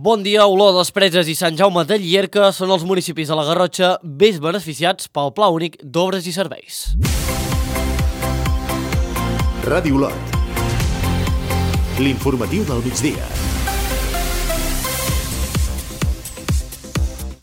Bon dia, Olor, Les Preses i Sant Jaume de Llierca són els municipis de la Garrotxa més beneficiats pel Pla Únic d'Obres i Serveis. Ràdio Olot. L'informatiu del migdia.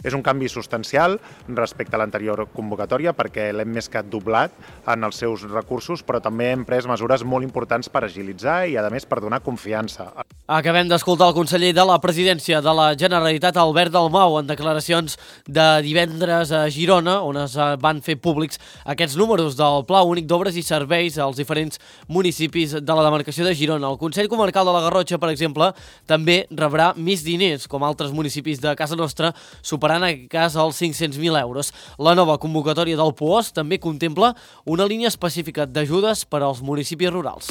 És un canvi substancial respecte a l'anterior convocatòria perquè l'hem més que doblat en els seus recursos, però també hem pres mesures molt importants per agilitzar i, a més, per donar confiança. Acabem d'escoltar el conseller de la Presidència de la Generalitat, Albert Dalmau, en declaracions de divendres a Girona, on es van fer públics aquests números del Pla Únic d'Obres i Serveis als diferents municipis de la demarcació de Girona. El Consell Comarcal de la Garrotxa, per exemple, també rebrà més diners, com altres municipis de casa nostra, superant en aquest cas els 500.000 euros. La nova convocatòria del POOS també contempla una línia específica d'ajudes per als municipis rurals.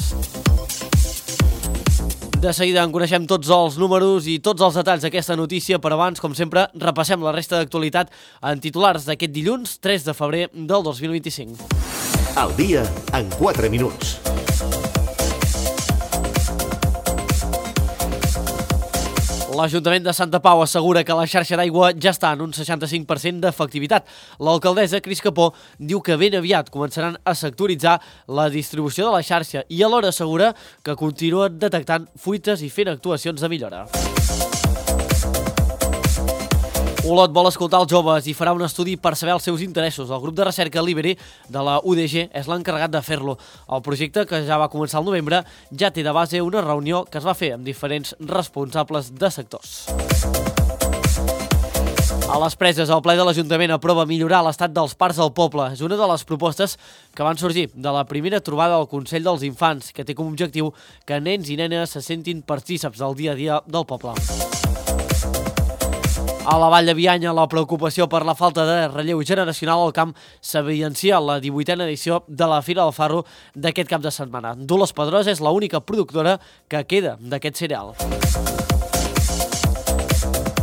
De seguida en coneixem tots els números i tots els detalls d'aquesta notícia, però abans, com sempre, repassem la resta d'actualitat en titulars d'aquest dilluns 3 de febrer del 2025. El dia en 4 minuts. L'Ajuntament de Santa Pau assegura que la xarxa d'aigua ja està en un 65% d'efectivitat. L'alcaldessa, Cris Capó, diu que ben aviat començaran a sectoritzar la distribució de la xarxa i alhora assegura que continuen detectant fuites i fent actuacions de millora. Olot vol escoltar els joves i farà un estudi per saber els seus interessos. El grup de recerca Liberi de la UDG és l'encarregat de fer-lo. El projecte, que ja va començar al novembre, ja té de base una reunió que es va fer amb diferents responsables de sectors. A les Preses, el ple de l'Ajuntament aprova millorar l'estat dels parcs del poble. És una de les propostes que van sorgir de la primera trobada del Consell dels Infants, que té com a objectiu que nens i nenes se sentin partícips del dia a dia del poble. A la Vall de Bianya, la preocupació per la falta de relleu generacional al camp s'evidencia a la 18a edició de la Fira del Farro d'aquest cap de setmana. Dolors Pedrosa és l'única productora que queda d'aquest cereal.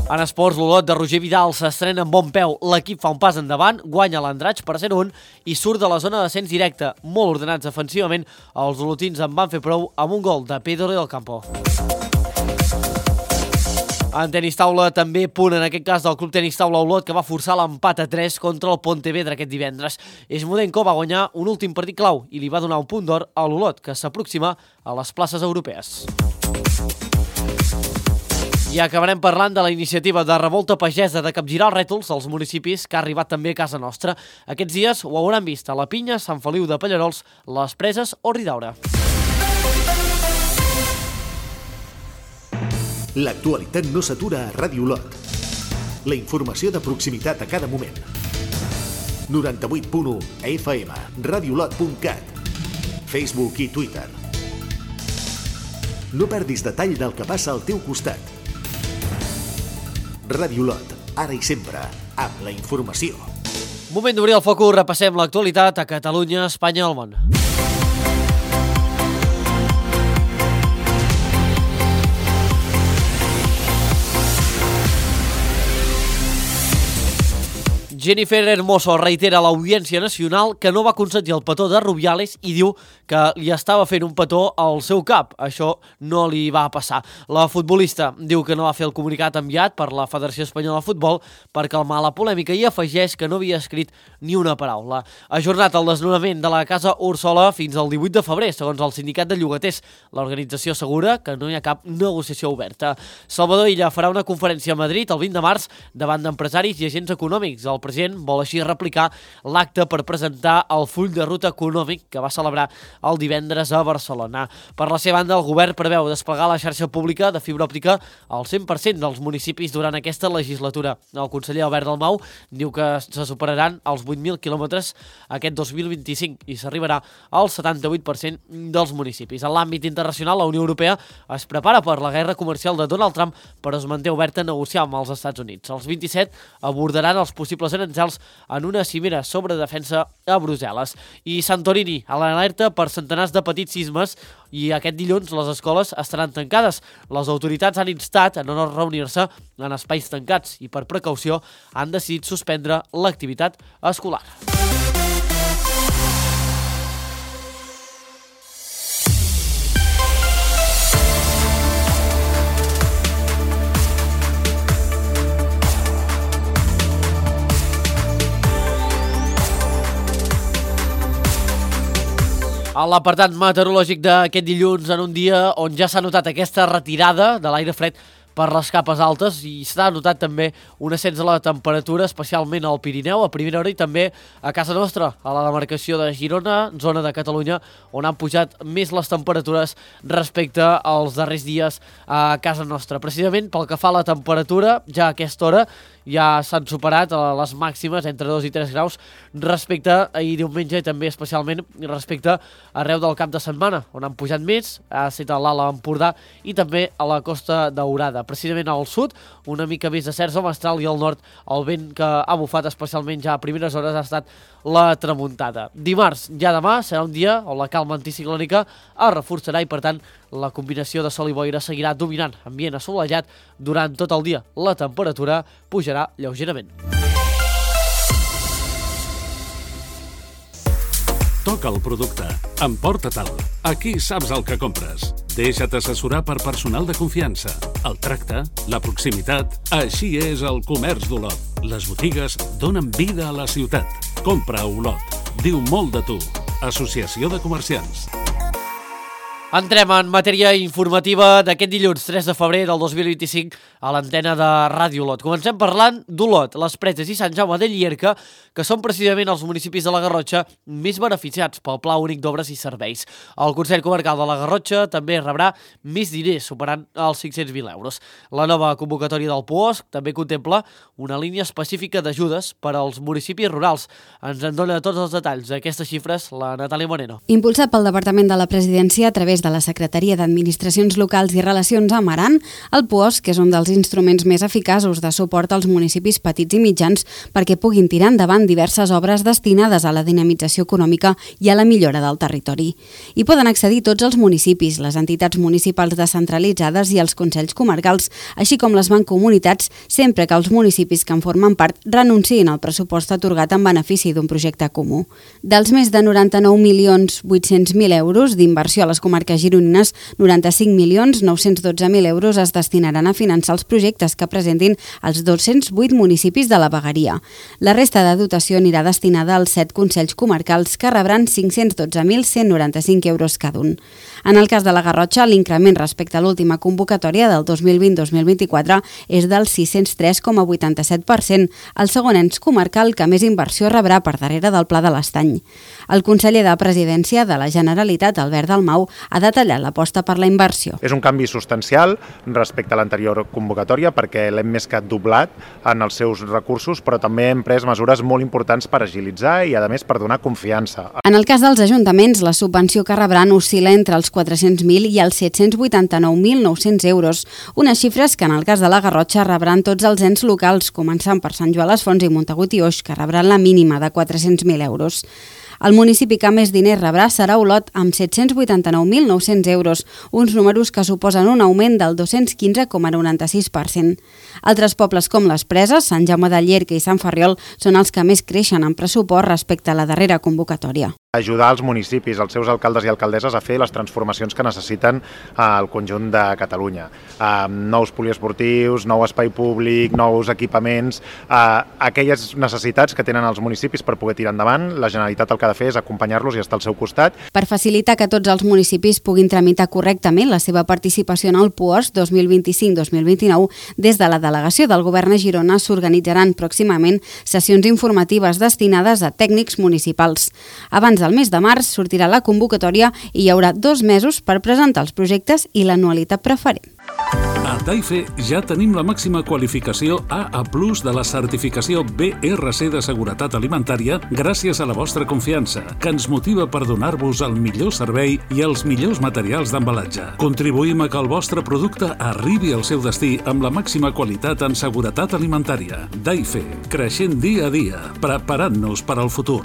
En esports, l'Olot de Roger Vidal s'estrena amb bon peu. L'equip fa un pas endavant, guanya l'Andratx per 0-1 i surt de la zona d'ascens directe. Molt ordenats defensivament, els olotins en van fer prou amb un gol de Pedro del Campo. En tenis taula, també punt en aquest cas del Club Tenis Taula Olot, que va forçar l'empat a 3 contra el Pontevedra aquest divendres. Esmudenko va guanyar un últim partit clau i li va donar un punt d'or a l'Olot, que s'aproxima a les places europees. I acabarem parlant de la iniciativa de revolta pagesa de capgirar els rètols als municipis, que ha arribat també a casa nostra. Aquests dies ho hauran vist a la Pinya, Sant Feliu de Pallerols, Les Preses o Ridaura. L'actualitat no s'atura a Ràdio Olot. La informació de proximitat a cada moment. 98.1 FM, radiolot.cat, Facebook i Twitter. No perdis detall del que passa al teu costat. Ràdio Olot, ara i sempre, amb la informació. Moment d'obrir el focus, repassem l'actualitat a Catalunya, Espanya i el món. Jennifer Hermoso reitera a l'Audiència Nacional que no va consentir el petó de Rubiales i diu que li estava fent un petó al seu cap. Això no li va passar. La futbolista diu que no va fer el comunicat enviat per la Federació Espanyola de Futbol per calmar la polèmica i afegeix que no havia escrit ni una paraula. Ajornat el desnonament de la Casa Úrsula fins al 18 de febrer, segons el sindicat de llogaters. L'organització assegura que no hi ha cap negociació oberta. Salvador Illa farà una conferència a Madrid el 20 de març davant d'empresaris i agents econòmics. El president vol així replicar l'acte per presentar el full de ruta econòmic que va celebrar el divendres a Barcelona. Per la seva banda, el govern preveu desplegar la xarxa pública de fibra òptica al 100% dels municipis durant aquesta legislatura. El conseller Albert Dalmau diu que se superaran els 8.000 quilòmetres aquest 2025 i s'arribarà al 78% dels municipis. En l'àmbit internacional, la Unió Europea es prepara per la guerra comercial de Donald Trump, però es manté oberta a negociar amb els Estats Units. Els 27 abordaran els possibles aranzels en una cimera sobre defensa a Brussel·les. I Santorini, a l'alerta per centenars de petits sismes, i aquest dilluns les escoles estaran tancades. Les autoritats han instat a no reunir-se en espais tancats i per precaució han decidit suspendre l'activitat escolar. A l'apartat meteorològic d'aquest dilluns, en un dia on ja s'ha notat aquesta retirada de l'aire fred per les capes altes i s'ha notat també un ascens de la temperatura, especialment al Pirineu a primera hora i també a casa nostra, a la demarcació de Girona, zona de Catalunya, on han pujat més les temperatures respecte als darrers dies a casa nostra. Precisament pel que fa a la temperatura, ja a aquesta hora ja s'han superat les màximes entre 2 i 3 graus respecte a ahir diumenge i també especialment respecte arreu del cap de setmana, on han pujat més, ha estat a l'Alt Empordà i també a la Costa Daurada. Precisament al sud, una mica més de cerç mestral i al nord el vent que ha bufat especialment ja a primeres hores ha estat la tramuntada. Dimarts, ja demà, serà un dia on la calma anticiclònica es reforçarà i per tant la combinació de sol i boira seguirà dominant ambient assolellat durant tot el dia. La temperatura pujarà lleugerament. Toca el producte. Emporta-te'l. Aquí saps el que compres. Deixa't assessorar per personal de confiança. El tracte, la proximitat... Així és el comerç d'Olot. Les botigues donen vida a la ciutat. Compra a Olot. Diu molt de tu. Associació de Comerciants. Entrem en matèria informativa d'aquest dilluns 3 de febrer del 2025 a l'antena de Ràdio Olot. Comencem parlant d'Olot, les Preses i Sant Jaume de Llierca, que són precisament els municipis de la Garrotxa més beneficiats pel Pla Únic d'Obres i Serveis. El Consell Comarcal de la Garrotxa també rebrà més diners, superant els 500.000 euros. La nova convocatòria del POSC també contempla una línia específica d'ajudes per als municipis rurals. Ens en dona tots els detalls d'aquestes xifres la Natàlia Moreno. Impulsat pel Departament de la Presidència a través de la Secretaria d'Administracions Locals i Relacions amb Aran, el POSC és un dels instruments més eficaços de suport als municipis petits i mitjans perquè puguin tirar endavant diverses obres destinades a la dinamització econòmica i a la millora del territori. Hi poden accedir tots els municipis, les entitats municipals descentralitzades i els consells comarcals, així com les mancomunitats, sempre que els municipis que en formen part renunciïn al pressupost atorgat en benefici d'un projecte comú. Dels més de 99.800.000 euros d'inversió a les comarques gironines, 95.912.000 euros es destinaran a finançar els projectes que presentin els 208 municipis de la vegueria. La resta de dotació anirà destinada als 7 consells comarcals que rebran 512.195 euros cada un. En el cas de la Garrotxa, l'increment respecte a l'última convocatòria del 2020-2024 és del 603,87%, el segon ens comarcal que més inversió rebrà per darrere del Pla de l'Estany. El conseller de Presidència de la Generalitat, Albert Dalmau, ha detallat l'aposta per la inversió. És un canvi substancial respecte a l'anterior convocatòria perquè l'hem més que doblat en els seus recursos, però també hem pres mesures molt importants per agilitzar i, a més, per donar confiança. En el cas dels ajuntaments, la subvenció que rebran oscil·la entre els 400.000 i els 789.900 euros, unes xifres que en el cas de la Garrotxa rebran tots els ens locals, començant per Sant Joan les Fonts i Montagut i Oix, que rebran la mínima de 400.000 euros. El municipi que més diners rebrà serà Olot, amb 789.900 euros, uns números que suposen un augment del 215,96%. Altres pobles com les Preses, Sant Jaume de Llierca i Sant Ferriol són els que més creixen en pressupost respecte a la darrera convocatòria. Ajudar els municipis, els seus alcaldes i alcaldesses a fer les transformacions que necessiten al conjunt de Catalunya. Nous poliesportius, nou espai públic, nous equipaments, aquelles necessitats que tenen els municipis per poder tirar endavant, la Generalitat el que ha de fer és acompanyar-los i estar al seu costat. Per facilitar que tots els municipis puguin tramitar correctament la seva participació en el POSC 2025-2029, des de la delegació del Govern a Girona s'organitzaran pròximament sessions informatives destinades a tècnics municipals. Abans del mes de març sortirà la convocatòria i hi haurà 2 mesos per presentar els projectes i l'anualitat preferent. A Daife ja tenim la màxima qualificació AA+ de la certificació BRC de seguretat alimentària gràcies a la vostra confiança, que ens motiva per donar-vos el millor servei i els millors materials d'embalatge. Contribuïm a que el vostre producte arribi al seu destí amb la màxima qualitat en seguretat alimentària. Daife, creixent dia a dia, preparant-nos per al futur.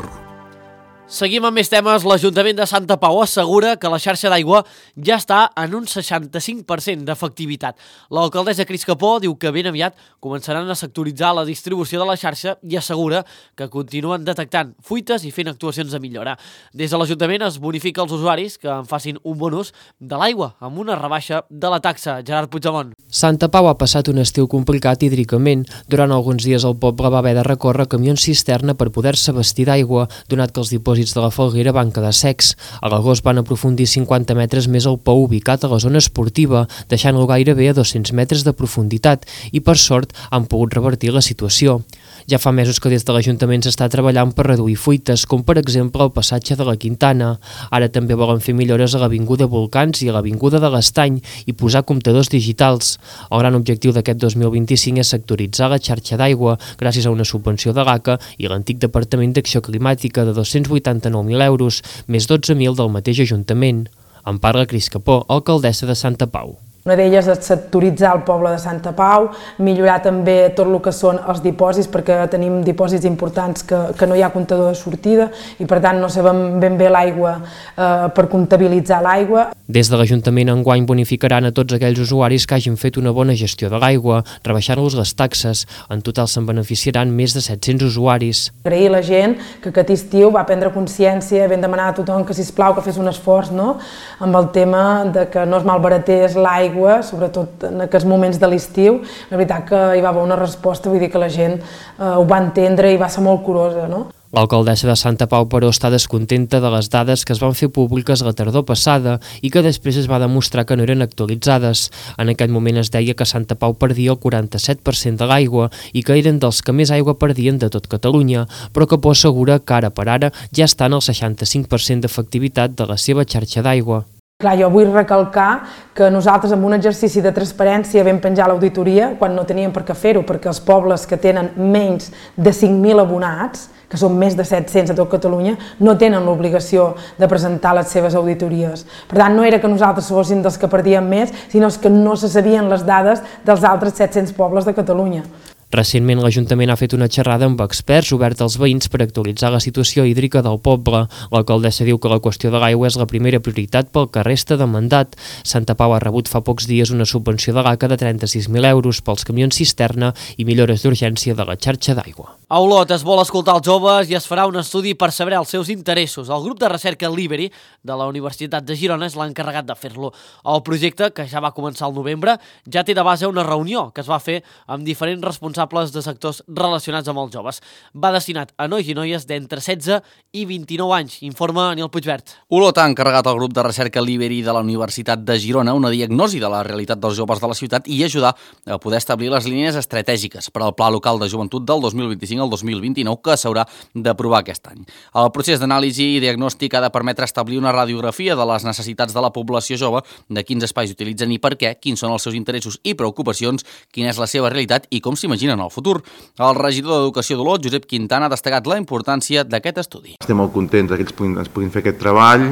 Seguim amb més temes. L'Ajuntament de Santa Pau assegura que la xarxa d'aigua ja està en un 65% d'efectivitat. L'alcaldessa Cris Capó diu que ben aviat començaran a sectoritzar la distribució de la xarxa i assegura que continuen detectant fuites i fent actuacions de millora. Des de l'Ajuntament es bonifica als usuaris que en facin un bon ús de l'aigua amb una rebaixa de la taxa. Gerard Puigdemont. Santa Pau ha passat un estiu complicat hídricament. Durant alguns dies el poble va haver de recórrer camions cisterna per poder-se abastir d'aigua, donat que els dipòsits dipòsits de la Falguera van quedar secs. A l'agost van aprofundir 50 metres més el pou ubicat a la zona esportiva, deixant-lo gairebé a 200 metres de profunditat i, per sort, han pogut revertir la situació. Ja fa mesos que des de l'Ajuntament s'està treballant per reduir fuites, com per exemple el passatge de la Quintana. Ara també volen fer millores a l'Avinguda Volcans i a l'Avinguda de l'Estany i posar comptadors digitals. El gran objectiu d'aquest 2025 és sectoritzar la xarxa d'aigua gràcies a una subvenció de l'ACA i l'antic Departament d'Acció Climàtica de 289.000 euros, més 12.000 del mateix Ajuntament. En parla Cris Capó, alcaldessa de Santa Pau. Una d'elles és sectoritzar el poble de Santa Pau, millorar també tot el que són els dipòsits, perquè tenim dipòsits importants que no hi ha comptador de sortida i per tant no sabem ben bé l'aigua per comptabilitzar l'aigua. Des de l'Ajuntament enguany bonificaran a tots aquells usuaris que hagin fet una bona gestió de l'aigua, rebaixant-los les taxes. En total se'n beneficiaran més de 700 usuaris. Agrair a la gent que aquest estiu va prendre consciència, vam demanar a tothom que, sisplau, que fes un esforç, no?, amb el tema de que no es malbaratés l'aigua, sobretot en aquests moments de l'estiu. La veritat que hi va haver una resposta, vull dir que la gent ho va entendre i va ser molt curosa, no? L'alcaldessa de Santa Pau, però, està descontenta de les dades que es van fer públiques la tardor passada i que després es va demostrar que no eren actualitzades. En aquest moment es deia que Santa Pau perdia el 47% de l'aigua i que eren dels que més aigua perdien de tot Catalunya, però Capó assegura que ara per ara ja estan al 65% d'efectivitat de la seva xarxa d'aigua. Clar, jo vull recalcar que nosaltres amb un exercici de transparència vam penjar l'auditoria quan no teníem per què fer-ho, perquè els pobles que tenen menys de 5.000 abonats, que són més de 700 a tot Catalunya, no tenen l'obligació de presentar les seves auditories. Per tant, no era que nosaltres fóssim dels que perdíem més, sinó que no se sabien les dades dels altres 700 pobles de Catalunya. Recentment l'Ajuntament ha fet una xerrada amb experts oberta als veïns per actualitzar la situació hídrica del poble. L'alcaldessa diu que la qüestió de l'aigua és la primera prioritat pel que resta de mandat. Santa Pau ha rebut fa pocs dies una subvenció de l'ACA de 36.000 euros pels camions cisterna i millores d'urgència de la xarxa d'aigua. A Olot es vol escoltar els joves i es farà un estudi per saber els seus interessos. El grup de recerca Liberi de la Universitat de Girona és l'encarregat de fer-lo. El projecte, que ja va començar al novembre, ja té de base una reunió que es va fer amb diferents responsables de sectors relacionats amb els joves. Va destinat a nois i noies d'entre 16 i 29 anys, informa Nil Puigvert. Olot ha encarregat al grup de recerca Liberi de la Universitat de Girona una diagnosi de la realitat dels joves de la ciutat i ajudar a poder establir les línies estratègiques per al Pla Local de Joventut del 2025 al 2029 que s'haurà d'aprovar aquest any. El procés d'anàlisi i diagnòstic ha de permetre establir una radiografia de les necessitats de la població jove, de quins espais utilitzen i per què, quins són els seus interessos i preocupacions, quina és la seva realitat i com s'imaginen el futur. El regidor d'Educació d'Olot, Josep Quintana, ha destacat la importància d'aquest estudi. Estem molt contents que ens puguin fer aquest treball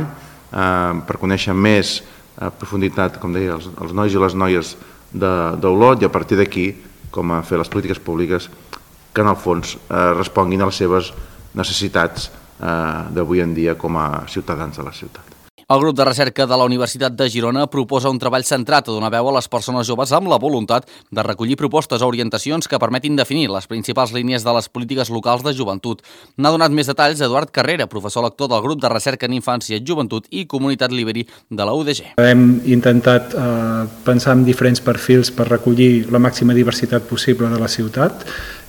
per conèixer més a profunditat, com deia, els nois i les noies d'Olot i a partir d'aquí com a fer les polítiques públiques que en el fons responguin a les seves necessitats d'avui en dia com a ciutadans de la ciutat. El grup de recerca de la Universitat de Girona proposa un treball centrat a donar veu a les persones joves amb la voluntat de recollir propostes o orientacions que permetin definir les principals línies de les polítiques locals de joventut. N'ha donat més detalls Eduard Carrera, professor lector del grup de recerca en infància, joventut i comunitat Liberi de la UDG. Hem intentat pensar en diferents perfils per recollir la màxima diversitat possible de la ciutat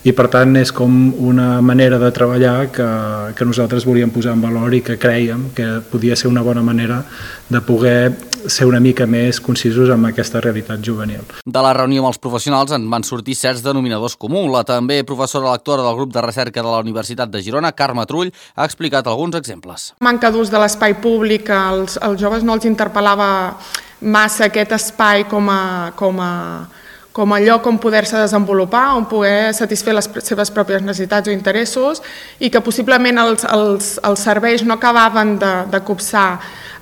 i per tant és com una manera de treballar que nosaltres volíem posar en valor i que crèiem que podia ser una bona manera de poder ser una mica més concisos amb aquesta realitat juvenil. De la reunió amb els professionals en van sortir certs denominadors comuns. La també professora lectora del grup de recerca de la Universitat de Girona, Carme Trull, ha explicat alguns exemples. Manca d'ús de l'espai públic, als joves no els interpel·lava massa aquest espai com a lloc on poder-se desenvolupar, on poder satisfer les seves pròpies necessitats o interessos i que possiblement els serveis no acabaven de copsar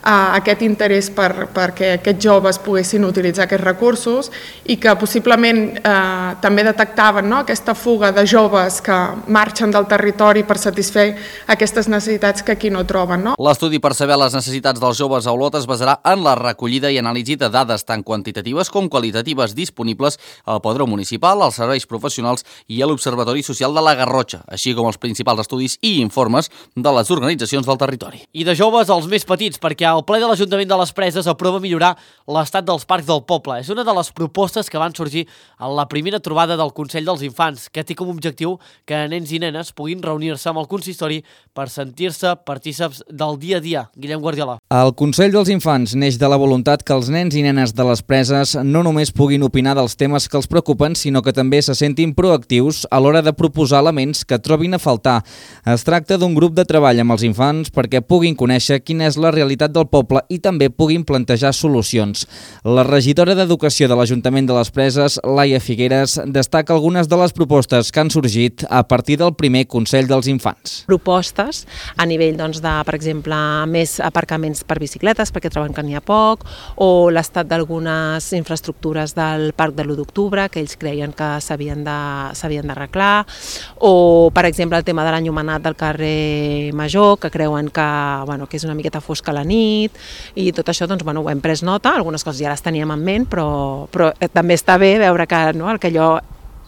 aquest interès perquè aquests joves poguessin utilitzar aquests recursos i que possiblement també detectaven aquesta fuga de joves que marxen del territori per satisfer aquestes necessitats que aquí no troben. L'estudi per saber les necessitats dels joves a Olot es basarà en la recollida i anàlisi de dades tant quantitatives com qualitatives disponibles al Padró Municipal, als serveis professionals i a l'Observatori Social de la Garrotxa, així com els principals estudis i informes de les organitzacions del territori. I de joves als més petits, perquè el ple de l'Ajuntament de les Preses aprova millorar l'estat dels parcs del poble. És una de les propostes que van sorgir a la primera trobada del Consell dels Infants, que té com a objectiu que nens i nenes puguin reunir-se amb el consistori per sentir-se partícips del dia a dia. Guillem Guardiola. El Consell dels Infants neix de la voluntat que els nens i nenes de les Preses no només puguin opinar dels temes que els preocupen, sinó que també se sentin proactius a l'hora de proposar elements que trobin a faltar. Es tracta d'un grup de treball amb els infants perquè puguin conèixer quina és la realitat del poble i també puguin plantejar solucions. La regidora d'Educació de l'Ajuntament de les Preses, Laia Figueres, destaca algunes de les propostes que han sorgit a partir del primer Consell dels Infants. Propostes a nivell, de, per exemple, més aparcaments per bicicletes, perquè troben que n'hi ha poc, o l'estat d'algunes infraestructures del Parc de l'1 d'octubre, que ells creien que s'havien d'arreglar, o, per exemple, el tema de l'enllumenat del carrer Major, que creuen que és una miqueta fosca a la nit, i tot això ho hem pres nota, algunes coses ja les teníem en ment, però també està bé veure que el que allò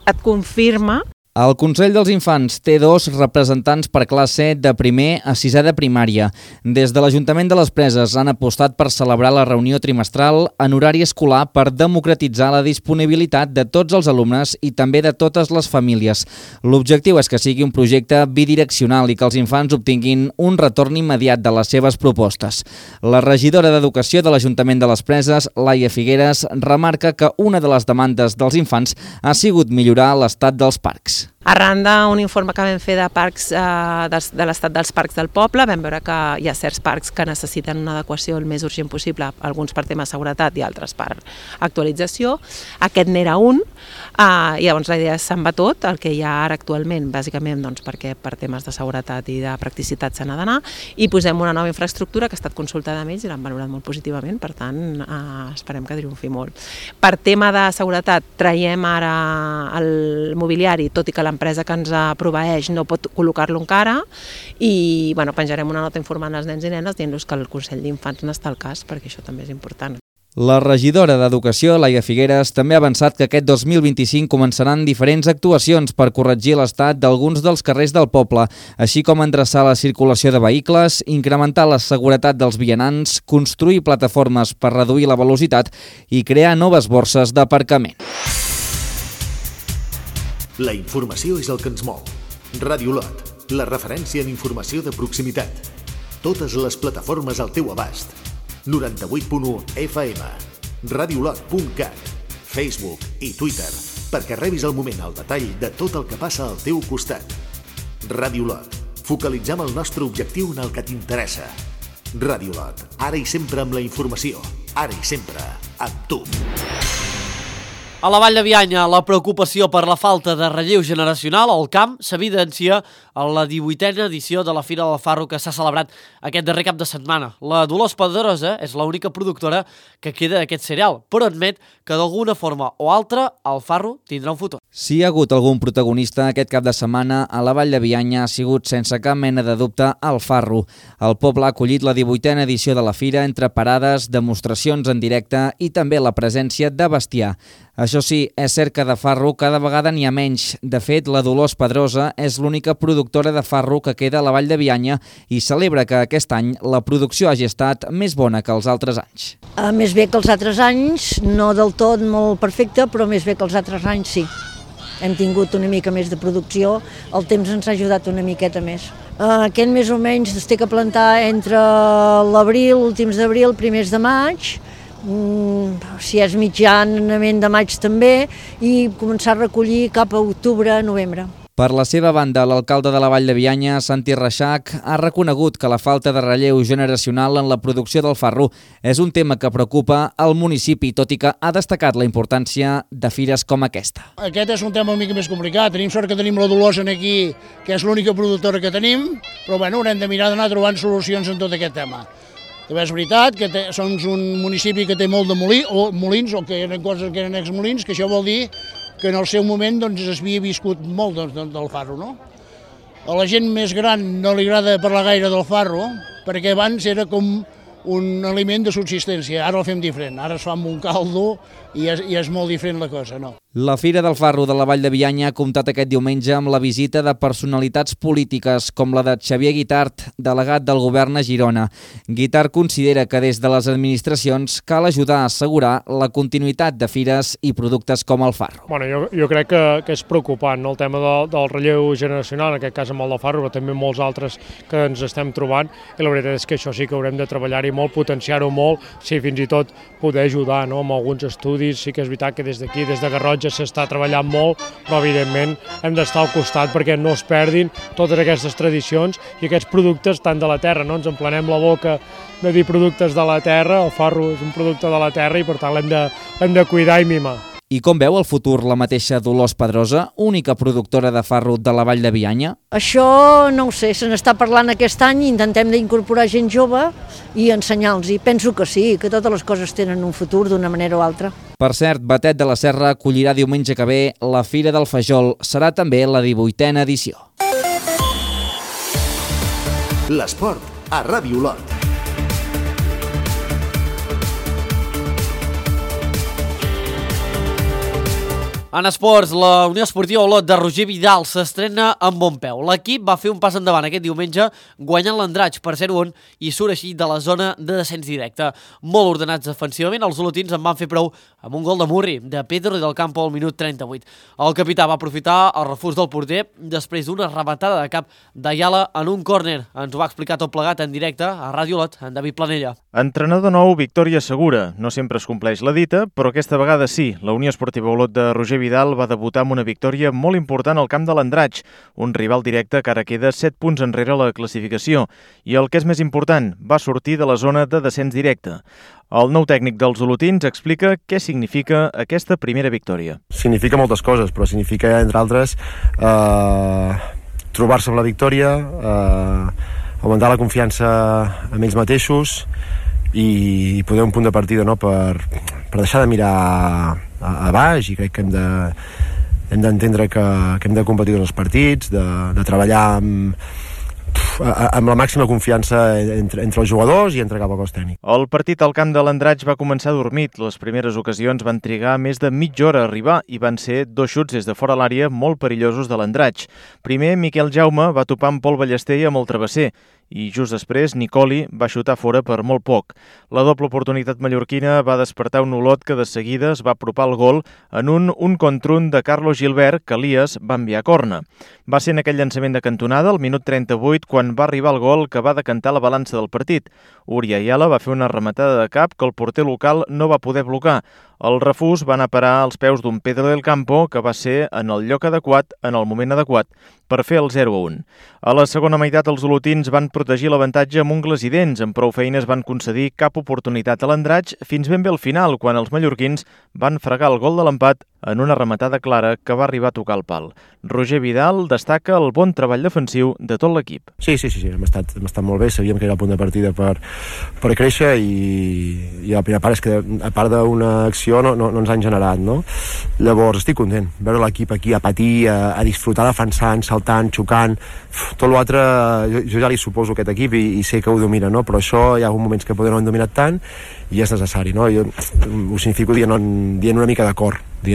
et confirma. El Consell dels Infants té 2 representants per classe de primer a 6è de primària. Des de l'Ajuntament de les Preses han apostat per celebrar la reunió trimestral en horari escolar per democratitzar la disponibilitat de tots els alumnes i també de totes les famílies. L'objectiu és que sigui un projecte bidireccional i que els infants obtinguin un retorn immediat de les seves propostes. La regidora d'Educació de l'Ajuntament de les Preses, Laia Figueres, remarca que una de les demandes dels infants ha sigut millorar l'estat dels parcs. Arran d'un informe que vam fer de parcs, de l'estat dels parcs del poble, vam veure que hi ha certs parcs que necessiten una adequació el més urgent possible, alguns per tema de seguretat i altres per actualització. Aquest n'era un, i llavors la idea és se'n va tot, el que hi ha ara actualment, bàsicament perquè per temes de seguretat i de practicitat se n'ha d'anar, i posem una nova infraestructura que ha estat consultada amb ells i l'han valorat molt positivament, per tant esperem que triomfi molt. Per tema de seguretat traiem ara el mobiliari, tot i que l'empresa que ens proveeix no pot col·locar-lo encara, i penjarem una nota informant als nens i nenes dient-los que el Consell d'Infants n'està al cas, perquè això també és important. La regidora d'Educació, Laia Figueres, també ha avançat que aquest 2025 començaran diferents actuacions per corregir l'estat d'alguns dels carrers del poble, així com endreçar la circulació de vehicles, incrementar la seguretat dels vianants, construir plataformes per reduir la velocitat i crear noves borses d'aparcament. La informació és el que ens mou. Ràdio Lot, la referència en informació de proximitat. Totes les plataformes al teu abast. 98.1 FM, radiolot.cat, Facebook i Twitter, perquè rebis al moment el detall de tot el que passa al teu costat. Ràdio Lot, focalitzem el nostre objectiu en el que t'interessa. Ràdio Lot, ara i sempre amb la informació, ara i sempre amb tu. A la Vall de Bianya, la preocupació per la falta de relleu generacional al camp s'evidencia a la 18a edició de la Fira del Farro que s'ha celebrat aquest darrer cap de setmana. La Dolors Pedrosa és l'única productora que queda d'aquest cereal, però admet que d'alguna forma o altra el farro tindrà un futur. Si hi ha hagut algun protagonista aquest cap de setmana, a la Vall de Bianya ha sigut sense cap mena de dubte el farro. El poble ha acollit la 18a edició de la Fira entre parades, demostracions en directe i també la presència de bestiar. Això sí, és cert que de farro cada vegada n'hi ha menys. De fet, la Dolors Pedrosa és l'única productora de farro que queda a la Vall de Bianya i celebra que aquest any la producció hagi estat més bona que els altres anys. Més bé que els altres anys, no del tot molt perfecte, però més bé que els altres anys sí. Hem tingut una mica més de producció, el temps ens ha ajudat una miqueta més. Aquest més o menys es té que plantar entre l'abril, últims d'abril, primers de maig, si és mitjanament de maig també, i començar a recollir cap a octubre, novembre. Per la seva banda, l'alcalde de la Vall de Bianya, Santi Reixac, ha reconegut que la falta de relleu generacional en la producció del farro és un tema que preocupa al municipi, tot i que ha destacat la importància de fires com aquesta. Aquest és un tema una mica més complicat. Tenim sort que tenim la Dolors aquí, que és l'única productora que tenim, però haurem de mirar d'anar trobant solucions en tot aquest tema. També és veritat que som un municipi que té molt de molins, o que eren coses que eren exmolins, que això vol dir que en el seu moment s'havia viscut molt del farro, no? A la gent més gran no li agrada parlar gaire del farro, perquè abans era com un aliment de subsistència. Ara el fem diferent, ara es fa amb un caldo i és molt diferent la cosa, no? La Fira del Farro de la Vall de Bianya ha comptat aquest diumenge amb la visita de personalitats polítiques com la de Xavier Guitart, delegat del govern a Girona. Guitart considera que des de les administracions cal ajudar a assegurar la continuïtat de fires i productes com el farro. Bueno, jo crec que és preocupant, no? El tema del relleu generacional, en aquest cas amb el del farro, però també molts altres que ens estem trobant, i la veritat és que això sí que haurem de treballar-hi molt, potenciar-ho molt, sí, fins i tot poder ajudar, no? Amb alguns estudis. Sí que és veritat que des d'aquí, des de Garrotxa, s'està treballant molt, però evidentment hem d'estar al costat perquè no es perdin totes aquestes tradicions i aquests productes tant de la terra, no? Ens emplenem la boca de dir productes de la terra, el farro és un producte de la terra i per tant l'hem de cuidar i mimar. I com veu el futur la mateixa Dolors Pedrosa, única productora de farro de la Vall de Bianya? Això no ho sé, se n'està parlant aquest any, intentem d'incorporar gent jove i ensenyar-los, i penso que sí, que totes les coses tenen un futur d'una manera o altra. Per cert, Batet de la Serra acollirà diumenge que ve la Fira del Fajol, serà també la 18a edició. L'esport a Ràdio Olot. En esports, la Unió Esportiva Olot de Roger Vidal s'estrena amb bon peu. L'equip va fer un pas endavant aquest diumenge guanyant l'Andratx per 0-1 i surt així de la zona de descens directe. Molt ordenats defensivament, els olotins en van fer prou amb un gol de Murri, de Pedro i del Campo al minut 38. El capità va aprofitar el refús del porter després d'una rematada de cap d'Ayala en un córner. Ens ho va explicar tot plegat en directe a Ràdio Olot, en David Planella. Entrenador nou, victòria segura. No sempre es compleix la dita, però aquesta vegada sí. La Unió Esportiva Olot de Roger Vidal va debutar amb una victòria molt important al camp de l'Andratx, un rival directe que ara queda 7 punts enrere la classificació. I el que és més important, va sortir de la zona de descens directe. El nou tècnic dels olotins explica què significa aquesta primera victòria. Significa moltes coses, però significa, entre altres, trobar-se amb la victòria, augmentar la confiança en ells mateixos i poder un punt de partida, no, per deixar de mirar a baix, i crec que hem d'entendre que hem de competir en els partits, de treballar amb la màxima confiança entre els jugadors i entre cap al cos tècnic. El partit al camp de l'Andratx va començar dormit. Les primeres ocasions van trigar més de mitja hora a arribar i van ser 2 xuts des de fora l'àrea molt perillosos de l'Andratx. Primer, Miquel Jaume va topar amb Pol Ballester i amb el travesser, i just després Nicoli va xutar fora per molt poc. La doble oportunitat mallorquina va despertar un Olot que de seguida es va apropar al gol en un contra un de Carlos Gilbert que Elias va enviar a corna. Va ser en aquell llançament de cantonada, al minut 38, quan va arribar el gol que va decantar la balança del partit. Uri Ayala va fer una rematada de cap que el porter local no va poder blocar. El refús va anar a parar als peus d'un Pedro del Campo que va ser en el lloc adequat, en el moment adequat, per fer el 0-1. A la segona meitat els olotins van protegir l'avantatge amb ungles i dents. Amb prou feines van concedir cap oportunitat a l'Andratx fins ben bé al final, quan els mallorquins van fregar el gol de l'empat en una rematada clara que va arribar a tocar el pal. Roger Vidal destaca el bon treball defensiu de tot l'equip. Sí, hem estat molt bé, sabíem que era el punt de partida per créixer i la primera part és que a part d'una acció no ens han generat, no? Llavors estic content, veure l'equip aquí a patir, a disfrutar defensant, saltant, xocant, tot l'altre jo ja li suposo aquest equip i sé que ho domina, no? Però això hi ha moments que poder no han dominat tant i és necessari, no? Jo ho significo dient una mica d'acord i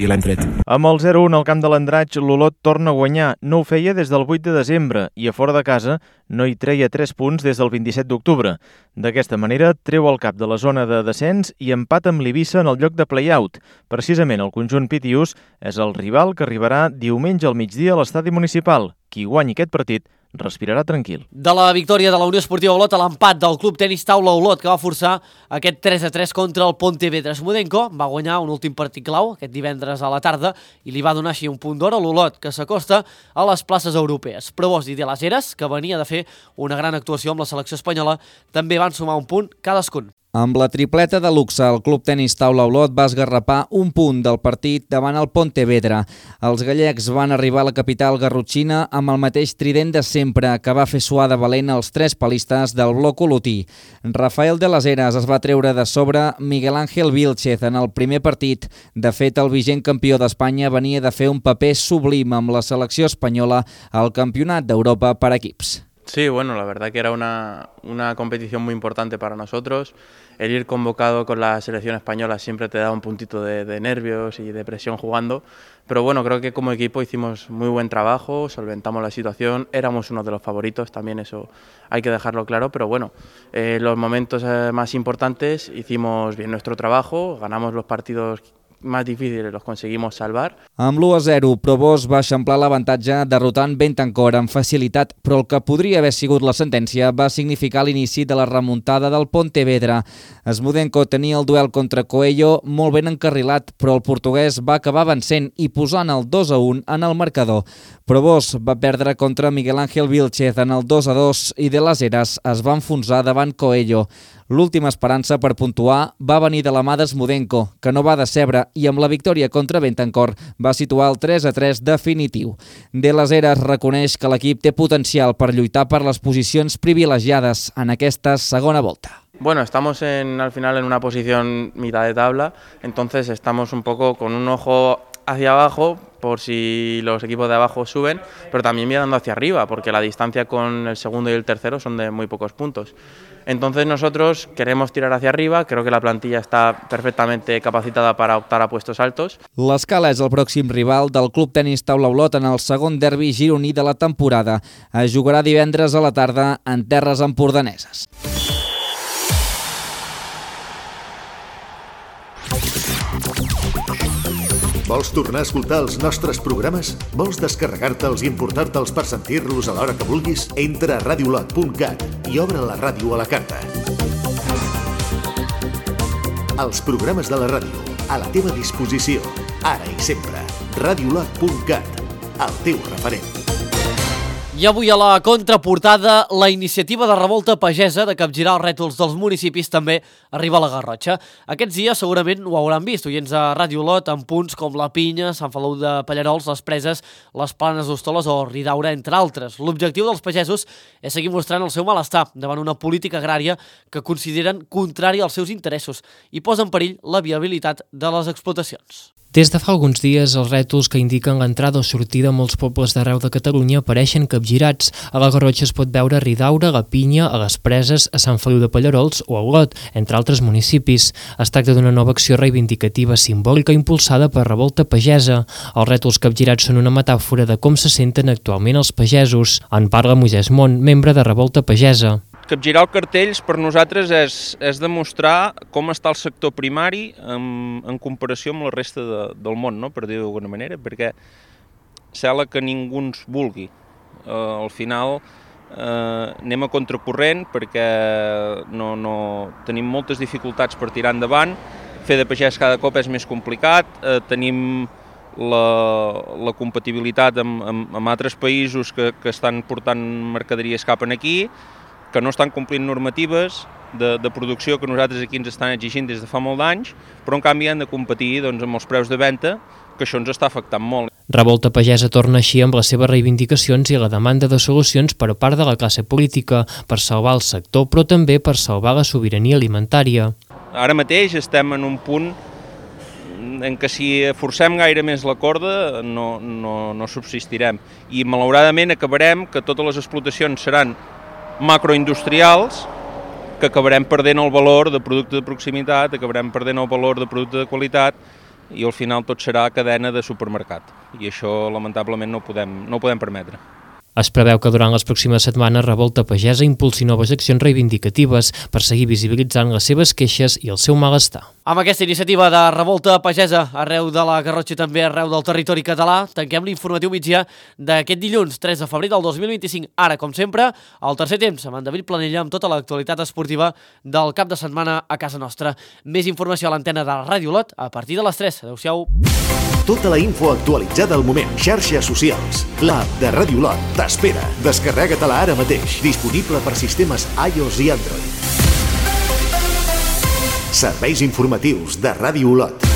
l'hem tret. Amb el 0-1 al camp de l'Andratx, l'Olot torna a guanyar. No ho feia des del 8 de desembre i a fora de casa no hi treia 3 punts des del 27 d'octubre. D'aquesta manera, treu el cap de la zona de descens i empata amb l'Eivissa en el lloc de play-out. Precisament el conjunt pitiús és el rival que arribarà diumenge al migdia a l'estadi municipal. Qui guanyi aquest partit respirarà tranquil. De la victòria de la Unió Esportiva Olot a l'empat del Club Tenis Taula Olot, que va forçar aquest 3-3 contra el Pontevedra. Smudenko va guanyar un últim partit clau aquest divendres a la tarda i li va donar així un punt d'or a l'Olot, que s'acosta a les places europees. Provost i de les Heres, que venia de fer una gran actuació amb la selecció espanyola, també van sumar un punt cadascun. Amb la tripleta de luxe, el Club Tenis Taula Olot va esgarrapar un punt del partit davant el Pontevedra. Els gallecs van arribar a la capital garrotxina amb el mateix trident de sempre, que va fer suar de valent els 3 palistes del bloc olotí. Rafael de les Heres es va treure de sobre Miguel Ángel Vilchez en el primer partit. De fet, el vigent campió d'Espanya venia de fer un paper sublim amb la selecció espanyola al Campionat d'Europa per equips. Sí, bueno, la verdad que era una competición muy importante para nosotros. El ir convocado con la selección española siempre te da un puntito de nervios y de presión jugando, pero bueno, creo que como equipo hicimos muy buen trabajo, solventamos la situación, éramos uno de los favoritos, también eso hay que dejarlo claro, pero bueno, los momentos más importantes hicimos bien nuestro trabajo, ganamos los partidos més difícils los conseguimos salvar. Amb l'1-0, Provost va eixamplar l'avantatge derrotant Béthencourt amb facilitat, però el que podria haver sigut la sentència va significar l'inici de la remuntada del Pontevedra. Smudenko tenia el duel contra Coello molt ben encarrilat, però el portuguès va acabar vencent i posant el 2-1 en el marcador. Provost va perdre contra Miguel Ángel Vilchez en el 2-2 i de les Heras es va enfonsar davant Coello. L'última esperança per puntuar va venir de la mà d'Smudenko, que no va decebre i amb la victòria contra Béthencourt va situar el 3-3 definitiu. De les Heras reconeix que l'equip té potencial per lluitar per les posicions privilegiades en aquesta segona volta. Bueno, estamos al final en una posición mitad de tabla, entonces estamos un poco con un ojo hacia abajo por si los equipos de abajo suben, pero también mirando hacia arriba, porque la distancia con el segundo y el tercero son de muy pocos puntos. Entonces nosotros queremos tirar hacia arriba, creo que la plantilla está perfectamente capacitada para optar a puestos altos. L'Escala és el pròxim rival del Club Tenis Taula Olot en el segon derbi gironí de la temporada. Es jugarà divendres a la tarda en terres empordaneses. Vols tornar a escoltar els nostres programes? Vols descarregar-te'ls i emportar-te'ls per sentir-los a l'hora que vulguis? Entra a radiolot.cat i obre la ràdio a la carta. Els programes de la ràdio, a la teva disposició, ara i sempre. Radiolot.cat, el teu referent. I avui a la contraportada, la iniciativa de revolta pagesa de capgirar els rètols dels municipis també arriba a la Garrotxa. Aquests dies segurament ho hauran vist, oients a Ràdio Olot, en punts com la Pinya, Sant Feliu de Pallarols, les Preses, les Planes d'Hostoles o Ridaura, entre altres. L'objectiu dels pagesos és seguir mostrant el seu malestar davant una política agrària que consideren contrària als seus interessos i posa en perill la viabilitat de les explotacions. Des de fa alguns dies, els rètols que indiquen l'entrada o sortida a molts pobles d'arreu de Catalunya apareixen capgirats. A la Garrotxa es pot veure a Ridaura, a la Pinya, a les Preses, a Sant Feliu de Pallarols o a Olot, entre altres municipis. Es tracta d'una nova acció reivindicativa simbòlica impulsada per Revolta Pagesa. Els rètols capgirats són una metàfora de com se senten actualment els pagesos. En parla Moisès Mont, membre de Revolta Pagesa. Capgirar els cartells per nosaltres és demostrar com està el sector primari en comparació amb la resta del món, no? Per dir-ho d'alguna manera, perquè sembla que ningú ens vulgui. Al final anem a contracorrent perquè no tenim moltes dificultats per tirar endavant, fer de pagès cada cop és més complicat, tenim la compatibilitat amb altres països que estan portant mercaderies cap aquí, que no estan complint normatives de producció que nosaltres aquí ens estan exigint des de fa molt d'anys, però en canvi han de competir amb els preus de venda, que això ens està afectant molt. Revolta Pagesa torna així amb les seves reivindicacions i la demanda de solucions per part de la classe política per salvar el sector, però també per salvar la sobirania alimentària. Ara mateix estem en un punt en què si forcem gaire més la corda no subsistirem i malauradament acabarem que totes les explotacions seran macroindustrials, que acabarem perdent el valor de producte de proximitat, acabarem perdent el valor de producte de qualitat i al final tot serà cadena de supermercat. I això lamentablement no ho podem permetre. Es preveu que durant les pròximes setmanes Revolta Pagesa impulsi noves accions reivindicatives per seguir visibilitzant les seves queixes i el seu malestar. Amb aquesta iniciativa de Revolta Pagesa arreu de la Garrotxa i també arreu del territori català, tanquem l'informatiu migdia d'aquest dilluns 3 de febrer del 2025. Ara, com sempre, al tercer temps amb en David Planella amb tota l'actualitat esportiva del cap de setmana a casa nostra. Més informació a l'antena de Ràdio Olot a partir de les 3. Adéu-siau. Tota la info actualitzada al moment. Xarxes socials. L'app de Ràdio Olot t'espera. Descarrega-te-la ara mateix. Disponible per sistemes iOS i Android. Serveis informatius de Ràdio Olot.